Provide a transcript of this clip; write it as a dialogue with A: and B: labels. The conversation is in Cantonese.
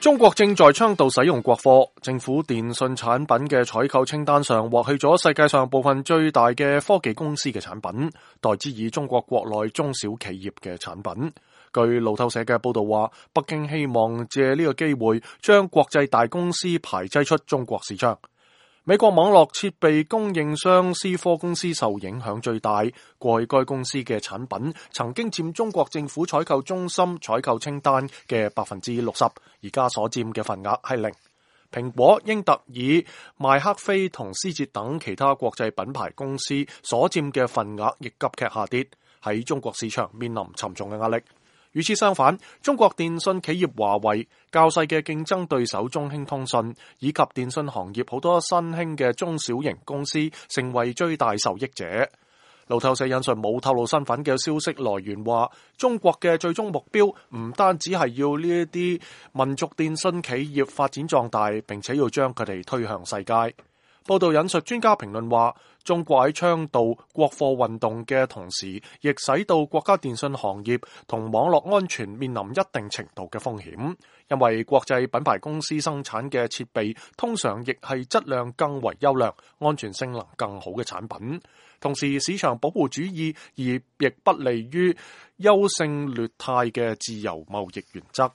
A: 中國正在倡導使用國貨，政府電信產品嘅採購清單上劃去咗世界上部分最大嘅科技公司嘅產品，代之以中國國內中小企業嘅產品。據路透社嘅報道話，北京希望借呢個機會將國際大公司排擠出中國市場。美國網絡設備供應商思科公司受影響最大，過去該公司嘅產品曾經佔中國政府採購中心採購清單嘅 60%， 而家所佔嘅份額係0。蘋果、英特爾、麥克菲同思捷等其他國際品牌公司所佔嘅份額亦急劇下跌，喺中國市場面臨沉重嘅壓力。與此相反，中國電信企業華為、較細嘅競爭對手中興通訊以及電信行業好多新興嘅中小型公司成為最大受益者。路透社引述冇透露身份嘅消息來源話，中國嘅最終目標唔單止係要呢一啲民族電信企業發展壯大，並且要將佢哋推向世界。報道引述專家評論話，中國喺倡導國貨運動嘅同時，亦使到國家電信行業同網絡安全面臨一定程度嘅風險，因為國際品牌公司生產嘅設備通常亦係質量更為優良、安全性能更好嘅產品。同時，市場保護主義而亦不利於優勝劣汰嘅自由貿易原則。